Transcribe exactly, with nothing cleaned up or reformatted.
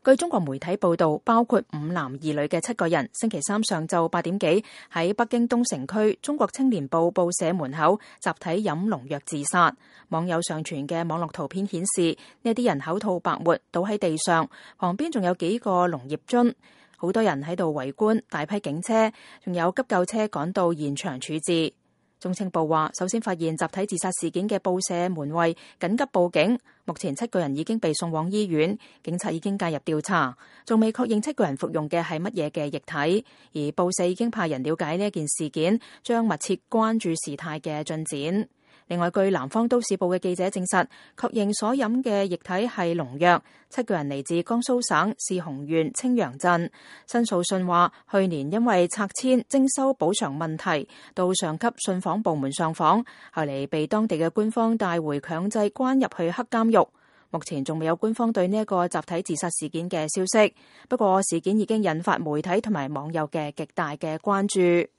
據中國媒體報道，包括五男二女嘅七個人，星期三上晝八點幾喺北京東城區中國青年報報社門口集體飲農藥自殺。網友上傳嘅網絡圖片顯示，呢啲人口吐白沫，倒喺地上，旁邊仲有幾個農業樽，好多人喺度圍觀，大批警車仲有急救車趕到現場處置。中青報話，首先發現集體自殺事件嘅報社門衛緊急報警，目前七個人已經被送往醫院，警察已經介入調查，仲未確認七個人服用嘅係乜嘢嘅液體，而報社已經派人了解呢件事件，將密切關注事態嘅進展。另外，據南方都市報嘅記者證實，確認所飲嘅液體係農藥。七個人嚟自江蘇省泗洪縣青陽鎮。申訴信話，去年因為拆遷徵收補償問題，到上級信訪部門上訪，後嚟被當地嘅官方帶回強制關入去黑監獄。目前仲未有官方對呢一個集體自殺事件嘅消息。不過事件已經引發媒體同埋網友嘅極大嘅關注。